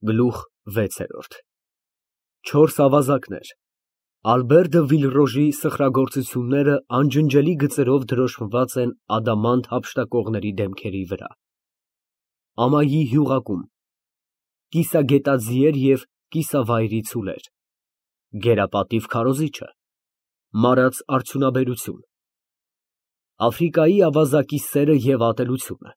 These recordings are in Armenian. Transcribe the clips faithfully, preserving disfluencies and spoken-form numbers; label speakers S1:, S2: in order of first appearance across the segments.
S1: Գլուխ վեցերորդ Չորս ավազակներ Ալբեր դը Վիլռոժի սխրագործությունները անջնջելի գծերով դրոշմված են ադամանդ հափշտակողների դեմքերի վրա։ Ամայի հյուղակում կիսագետաձիեր և կիսավայրի ցուլեր, գերապատիվ քարոզիչը, մարած արդյունաբերություն, Աֆրիկայի ավազակի սերը և ատելությունը,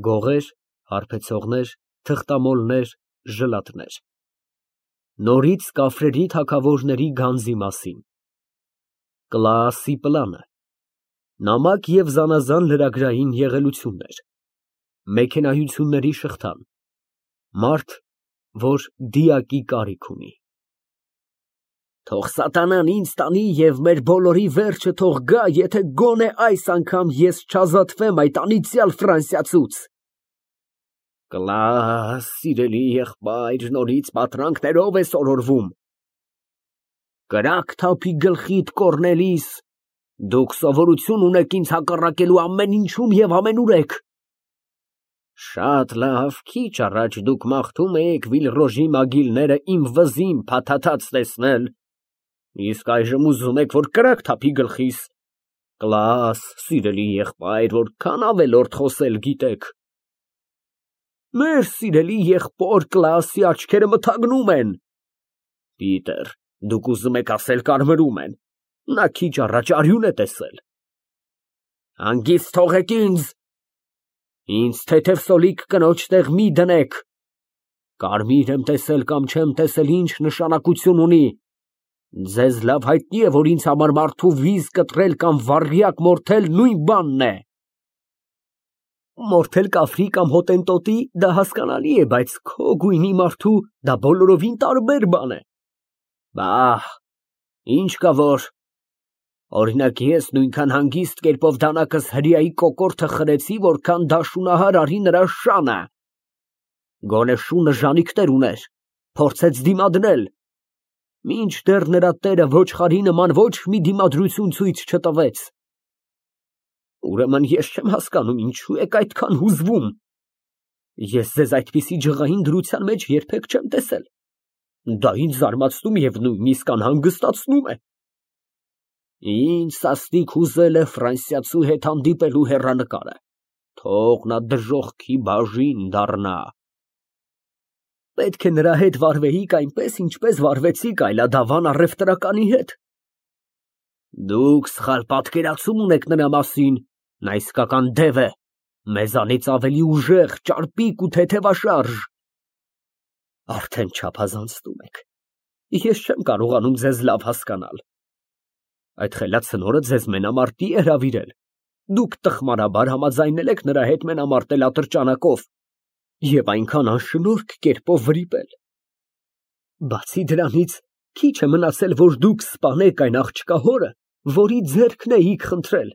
S1: գողեր, հարբեցողներ, թղթամոլներ, ժլատներ, նորից կաֆրերի թագավորների գանձի մասին, Կլաասի պլանը, նամակ և զանազան լրագրային եղելություններ, մեքենայությունների շղթան, մարդ, որ դիակի կարիք ունի։ Թող սատանան ինձ տանի և մեր բոլորի վերջը թող գա, եթե գոնե այս անգամ ես չազատվեմ այդ անիծյալ ֆրանսիացուց։ Կլաս, սիրելի եղբայր, նորից պատրանքներով ես օրորվում։ Կրակ թափի գլխիդ, Կոռնելիս, դուք սովորություն ունեք ինձ հակառակելու ամեն ինչում և ամենուրեք։ Շատ լավ, քիչ առաջ դուք մաղթում էիք Վիլռոժի մագիլները իմ վզին փաթաթած տեսնել, իսկ այժմ ուզում եք, որ կրակ թափի գլխիս։ Կլաս, սիրելի եղբայր, որքան ավելորդ խոսել գիտեք։ Մեր սիրելի եղբոր Կլաասի աչքերը մթագնում են։ Պիտեր, դուք ուզում եք ասել կարմրում են, նա քիչ առաջ արյուն է տեսել։ Հանգիստ թողեք ինձ։ Ինձ թեթև սոլիկ կնոջ տեղ մի դնեք։ Կարմիր եմ տեսել կամ չեմ տեսել, ինչ նշանակություն ունի։ Ձեզ լավ հայտնի է, որ ինձ համար մարդու վիզ կտրել կամ վառյակ մորթել նույն բանն է։ Մորթել կաֆրի կամ հոտենտոտի դա հասկանալի է, բայց քո գույնի մարդու դա բոլորովին տարբեր բան է։ Բահ, ինչ կա որ։ Օրինակ ես նույնքան հանգիստ կերպով դանակս հրեայի կոկորդը խրեցի, որքան դաշունահար արի նրա շանը։ Գոնե շունը ժանիքներ ուներ, փորձեց դիմադրել, մինչդեռ նրա տերը ոչխարի նման ոչ մի դիմադրություն ցույց չտվեց։ Ուրեմն ես չեմ հասկանում, ինչու եք այդքան հուզվում։ Ես ձեզ այդպիսի ջղային դրության մեջ երբեք չեմ տեսել։ Դա ինձ զարմացնում և նույնիսկ անհանգստացնում է։ Ինձ սաստիկ հուզել է ֆրանսիացու հետ հանդիպելու հեռանկարը, թող նա դժոխքի բաժին դառնա։ Պետք է նրա հետ վարվեիք այնպես, ինչպես վարվեցիք այլադավան առևտրականի հետ։ Դուք սխալ պատկերացում ունեք նրա մասին, նա իսկական դև է, մեզանից ավելի ուժեղ, ճարպիկ ու թեթևաշարժ։ Արդեն չափազանցնում եք, ես չեմ կարողանում ձեզ լավ հասկանալ։ Այդ խելացնորը ձեզ մենամարտի է հրավիրել, դուք տխմարաբար համաձայնել եք նրա հետ մենամարտել ատրճանակով և այնքան անշնորհք կերպով վրիպել։ Բացի դրանից, քիչ է մնացել, որ դուք սպանեք այն աղջկա հորը, որի ձեռքն էիք խնդրել։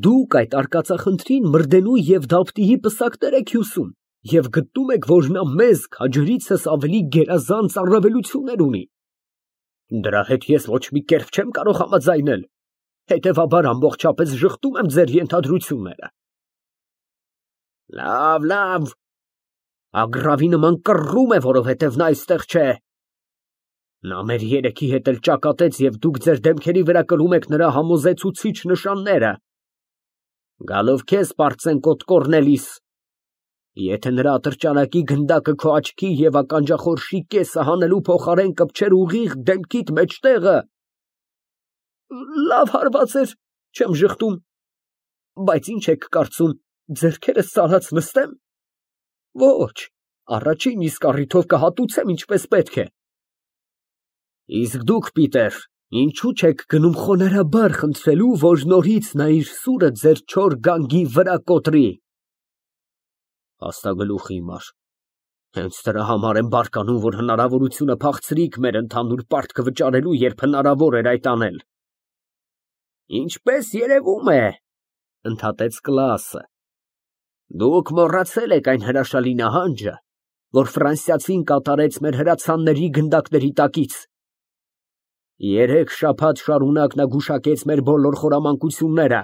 S1: Դուք այդ արկածախնդրին մրդենու և դափտիի պսակներ եք հյուսում և գտնում եք, որ նա մեզ քաջրիցս ավելի գերազանց առավելություններ ունի։ Դրա հետ ես ոչ մի կերպ չեմ կարող համաձայնել, հետևաբար ամբողջապես ժխտում եմ ձեր ենթադրությունները։ Լավ, լավ, ագռավի նման կռռում է, որովհետև նա այստեղ չէ։ Նա մեր երեքի հետ էլ ճակատեց և դուք ձեր դեմքերի վրա կրում եք նրա համոզեցուցիչ նշանները։ Գալով քեզ, պարծենկոտ Կոռնելիս, եթե նրա ատրճանակի գնդակը քո աչքի և ականջախորշի կեսը հանելու փոխարեն կպչեր ուղիղ դեմքիդ մեջտեղը։ Լավ հարված էր, չեմ ժխտում, բայց ինչ եք կարծում, ձեռքերս ծալած նստեմ։ Ոչ, առաջին իսկ առիթով կհատուցեմ ինչպես պետք է։ Իսկ դուք, Պիտեր, ինչու չեք գնում խոնարհաբար խնդրելու, որ նորից նա իր սուրը ձեր չոր գանգի վրա կոտրի։ Փաստագլուխ իմար, հենց դրա համար եմ բարկանում, որ հնարավորությունը փախցրիք մեր ընդհանուր պարտքը վճարելու, երբ հնարավոր էր այդ անել։ Ինչպես երևում է, ընդհատեց Կլաասը, դուք մոռացել եք այն հրաշալի նահանջը, որ ֆրանսիացին կատարեց մեր հրացանների գնդակների տակից։ Երեք շաբաթ շարունակ նա գուշակեց մեր բոլոր խորամանկությունները,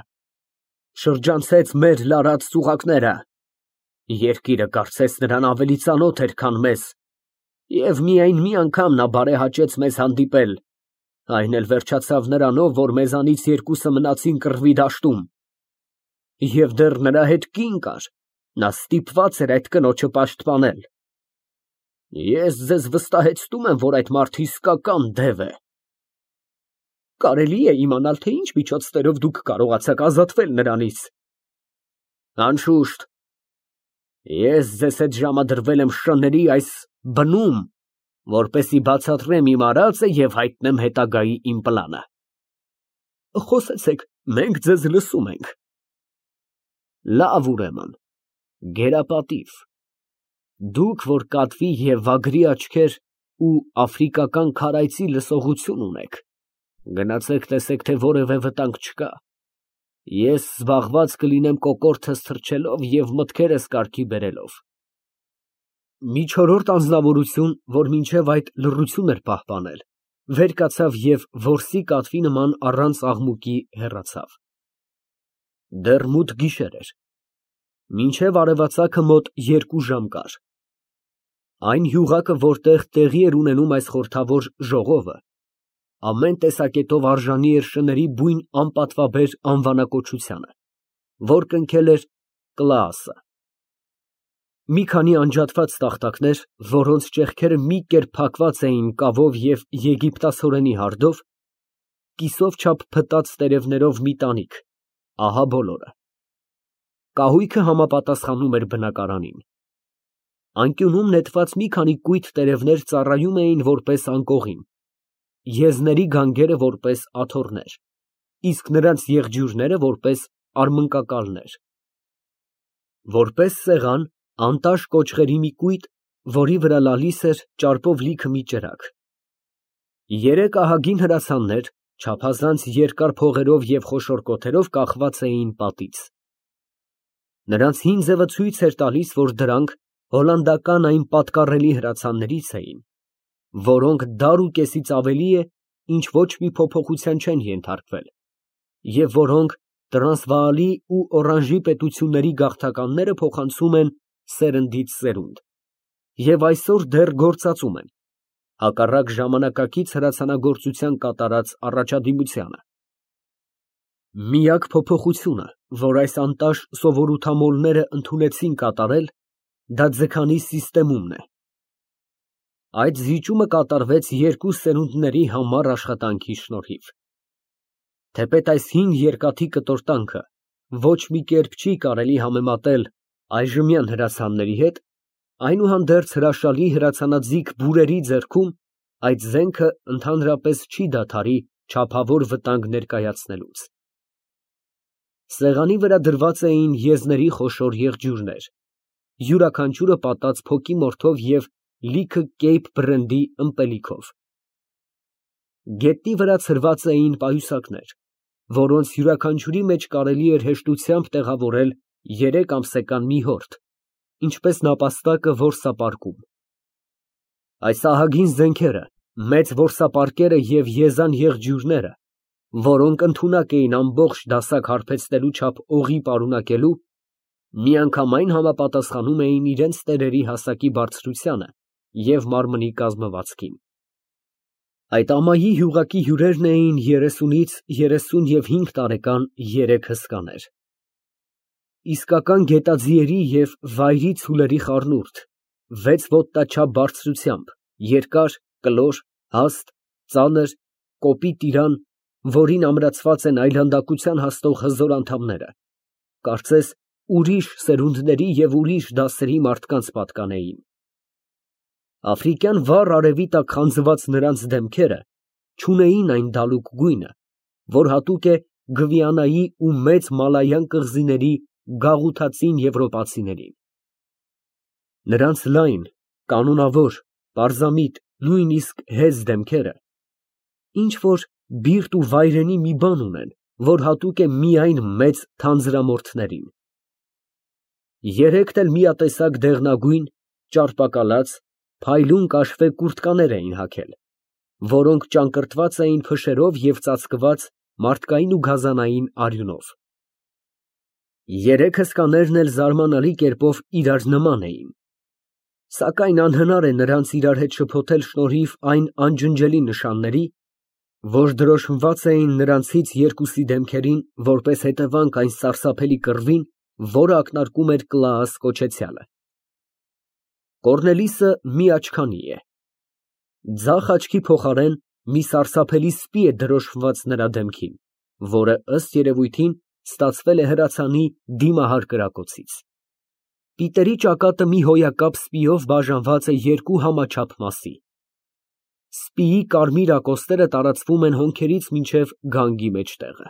S1: շրջանցեց մեր լարած ծուղակները Երկիրը կարծես նրան ավելի ծանոթ էր, քան մեզ, և միայն մի անգամ նա բարեհաճեց մեզ հանդիպել, այն էլ վերջացավ նրանով, որ մեզանից երկուսը մնացին կռվի դաշտում, և դեռ նրա հետ կին կար, նա ստիպված էր այդ կնոջը պաշտպանել։ Ես ձեզ վստահեցնում եմ, որ այդ մարդը իսկական դև է։ Կարելի է իմանալ, թե ինչ միջոցներով դուք կարողացաք ազատվել նրանից։ Անշուշտ, ես ձեզ հետ ժամադրվել եմ Շ֊ների այս բնում, որպեսզի բացատրեմ իմ արածը և հայտնեմ հետագայի իմ պլանը։ Խոսեցեք, մենք ձեզ լսում ենք։ Լավ, ուրեմն, գերապատիվ, դուք, որ կատվի և վագրի աչքեր ու աֆրիկական քարայծի լսողություն ունեք, գնացեք տեսեք, թե որևէ վտանգ չկա, ես զբաղված կլինեմ կոկորդս թռչելով և մտքերս կարգի բերելով։ Մի չորրորդ անձնավորություն, որ մինչև այդ լռություն էր պահպանել, վեր կացավ և որսի կատվի նման առանց աղմուկի հեռացավ։ Դեռ մութ գիշեր էր, մինչև արևածագը մոտ երկու ժամ կար։ Այն յուղակը, որտեղ տեղի էր ունենում այս խորհրդավոր ժողովը, ամեն տեսակետով արժանի էր Շ֊ների բույն անպատվաբեր անվանակոչությանը, որ կնքել էր Կլաասը։ Մի քանի անջատված տախտակներ, որոնց ճեղքերը մի կերպ փակված էին կավով և եգիպտացորենի հարդով, կիսով չափ փտած տերևներով մի տանիք, ահա բոլորը։ Կահույքը համապատասխանում էր բնակարանին։ Անկյունում նետված մի քանի կույտ տերևներ ծառայում էին որպես անկողին, եզների գանգերը որպես աթոռներ, իսկ նրանց եղջյուրները որպես արմնկակալներ։ Որպես սեղան, անտաշ կոճղերի մի կույտ, որի վրա լալիս էր ճարպով լիքը մի ճրագ։ Երեք ահագին հրացաններ, չափազանց երկար փողերով և խոշոր կոթերով կախված էին պատից։ Նրանց հին ձևը ցույց էր տալիս, որ դրանք հոլանդական այն պատկառելի հրացաններից էին, որոնք դար ու կեսից ավելի է, ինչ ոչ մի փոփոխության չեն ենթարկվել, և որոնք Տրանսվաալի ու Օրանժի պետությունների գաղթականները փոխանցում են սերնդից սերունդ և այսօր դեռ գործածում են, հակառակ ժամանակակից հրացանագործության կատարած առաջադիմությանը։ Միակ փոփոխությունը, որ այս անտաշ սովորութամոլները ընդունեցին կատարել, դա ձգանի սիստեմումն է։ Այդ զիջումը կատարվեց երկու սերունդների համառ աշխատանքի շնորհիվ։ Թեպետ այս հին երկաթի կտորտանքը ոչ մի կերպ չի կարելի համեմատել այժմյան հրացանների հետ, այնուհանդերձ հրաշալի հրացանաձիգ բուրերի ձեռքում այդ զենքը ընդհանրապես չի դադարի չափավոր վտանգ ներկայացնելուց։ Սեղանի վրա դրված էին եզների խոշոր եղջյուրներ, յուրաքանչյուրը պատած փոկի մորթով և լիքը կեյփ բրենդի ըմպելիքով։ Գետնի վրա ցրված էին պայուսակներ, որոնց յուրաքանչյուրի մեջ կարելի էր հեշտությամբ տեղավորել երեք ամսական մի հորթ, ինչպես նապաստակը որսապարկում։ Այս ահագին զենքերը, մեծ որսապարկերը և եզան եղջյուրները, որոնք ընդունակ էին ամբողջ դասակ հարբեցնելու չափ օղի պարունակելու, միանգամայն համապատասխանում էին իրենց տերերի հասակի բարձրությանը և մարմնի կազմվածքին։ Այդ ամայի յուղակի հյուրերն էին երեսունից երեսուն և հինգ տարեկան երեք հսկաներ։ Իսկական գետաձիերի և վայրի ցուլերի խառնուրդ, վեց ոտնաչափ բարձրությամբ, երկար, կլոր, հաստ, ծանր, կոպիտ իրան, որին ամրացված են այլանդակության հասնող հզոր անդամները, կարծես ուրիշ սերունդների և ուրիշ դասերի մարդկանց պատկանեին։ Աֆրիկյան վառ արևի տակ խանձված նրանց դեմքերը չունեին այն դալուկ գույնը, որ հատուկ է Գվիանայի ու Մեծ Մալայան կղզիների գաղութացին եվրոպացիներին։ Նրանց լայն, կանոնավոր, պարզամիտ, նույնիսկ հեզ դեմքերը ինչ֊որ բիրտ ու վայրենի մի բան ունեն, որ հատուկ է միայն մեծ թանձրամորթներին։ Երեքն էլ միատեսակ դեղնագույն, ճարպակալած, փայլուն կաշվե կուրտկաներ էին հագել, որոնք ճակռտված էին փշերով և ծածկված մարդկային ու գազանային արյունով։ Երեք հսկաներն էլ զարմանալի կերպով իրար նման էին, սակայն անհնար է նրանց իրար հետ շփոթել շնորհիվ այն անջնջելի նշանների, որ դրոշմված էին նրանցից երկուսի դեմքերին որպես հետևանք այն սարսափելի կռվին, որը ակնարկում էր Կլաաս կոչեցյալը։ Կոռնելիսը մի աչքանի է, ձախ աչքի փոխարեն մի սարսափելի սպի է դրոշմված նրա դեմքին, որը ըստ երևույթին ստացվել է հրացանի դիմահար կրակոցից։ Պիտերի ճակատը մի հոյակապ սպիով բաժանված է երկու համաչափ մասի։ Սպիի կարմիր ակոստերը տարածվում են հոնքերից մինչև գանգի մեջտեղը։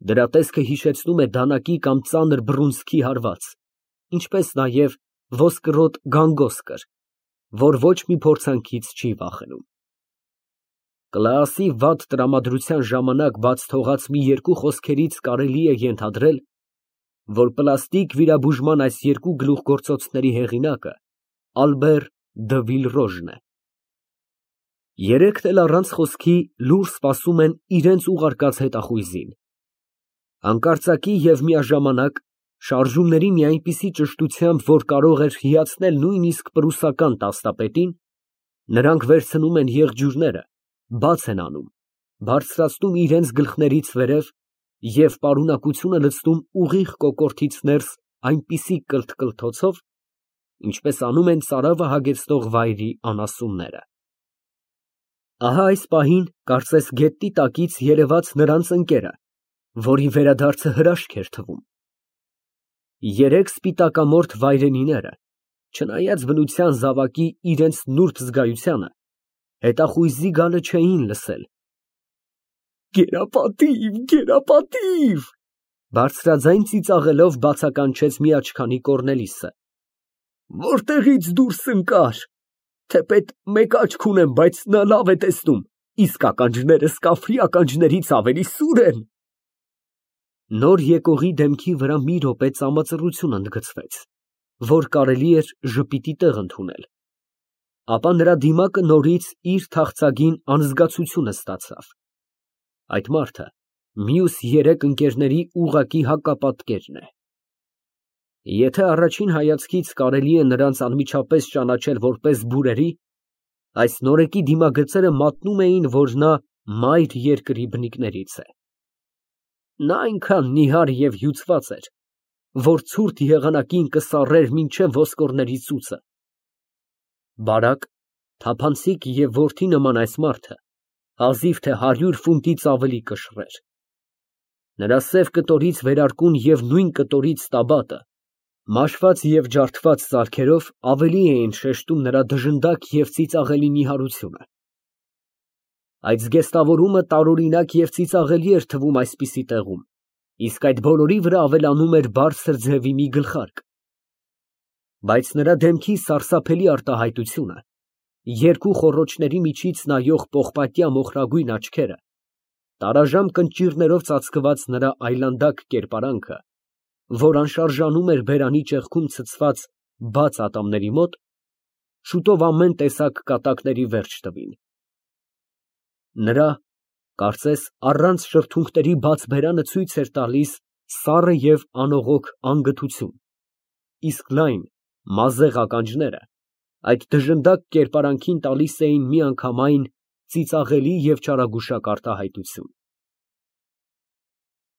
S1: Դրա տեսքը հիշեցնում է դանակի կամ ծանր բռունցքի հարված, ինչպես նաև ոսկրոտ գանգոսկր, որ ոչ մի փորձանքից չի վախենում։ Կլաասի վատ տրամադրության ժամանակ բաց թողած մի երկու խոսքերից կարելի է ենթադրել, որ պլաստիկ վիրաբուժման այս երկու գլուխգործոցների հեղինակը Ալբեր դը Վիլրոժն է։ Երեքն էլ առանց խոսքի լուռ սպասում են իրենց ուղարկած հետախույզին։ Հանկարծակի և միաժամանակ շարժումների մի այնպիսի ճշտությամբ, որ կարող էր հիացնել նույնիսկ պրուսական տասնապետին, նրանք վերցնում են եղջյուրները, բաց են անում, բարձրացնում իրենց գլխներից վերև և պարունակությունը լցնում ուղիղ կոկորդից ներս այնպիսի կլթ֊կլթոցով, ինչպես անում են ծարավը հագեցնող վայրի անասունները։ Ահա այս պահին, կարծես գետնի տակից երևաց նրանց ընկերը, որի վերադարձը հրաշք էր թվում։ Երեք սպիտակամորթ վայրենիները, չնայած բնության զավակի իրենց նուրբ զգայությանը, հետախույզի գալը չէին լսել։ Գերապատիվ, գերապատիվ, բարձրաձայն ծիծաղելով բացականչեց մի աչքանի Կոռնելիսը։ Որտեղից դուրս ընկար, թեպետ մեկ աչք ունեմ, բայց նա լավ է տեսնում, իսկ ականջներս կավրի ականջներից ավելի սուր են։ Նոր եկողի դեմքի վրա մի րոպե ծամածռություն ընդգծվեց, որ կարելի էր ժպիտի տեղ ընդունել, ապա նրա դիմակը նորից իր թախծագին անզգացությունը ստացավ։ Այդ մարդը մյուս երեք ընկերների ուղղակի հակապատկերն է։ Եթե առաջին հայացքից կարելի է նրանց անմիջապես ճանաչել որպես բուրերի, այս նորեկի դիմագծերը մատնում էին, որ նա մայր երկրի բնիկներից է։ Նա այնքան նիհար և հյուծված էր, որ ցուրտ եղանակին կսառեր մինչև ոսկորների ծուծը։ Բարակ, թափանցիկ և որդի նման այս մարդը հազիվ թե հարյուր ֆունտից ավելի կշռեր։ Նրա սև կտորից վերարկուն և նույն կտորից տաբատը, մաշված և ջարդված ծալքերով ավելի էին շեշտում նրա դժնդակ և ծիծաղելի նիհարությունը։ Այդ զգեստավորումը տարօրինակ և ծիծաղելի էր թվում այսպիսի տեղում, իսկ այդ բոլորի վրա ավելանում էր բարձր ձևի մի գլխարկ։ Բայց նրա դեմքի սարսափելի արտահայտությունը, երկու խոռոչների միջից նայող պողպատյա մոխրագույն աչքերը, տարաժամ կնճիռներով ծածկված նրա այլանդակ կերպարանքը, որ անշարժանում էր բերանի ճեղքում ցցված բաց ատամների մոտ, շուտով ամեն տեսակ կատակների վերջ տվին։ Նրա, կարծես առանց շրթունքների բաց բերանը ցույց էր տալիս սառը և անողոք անգթություն, իսկ լայն, մազեղ ականջները այդ դժնդակ կերպարանքին տալիս էին միանգամայն ծիծաղելի և չարագուշակ արտահայտություն։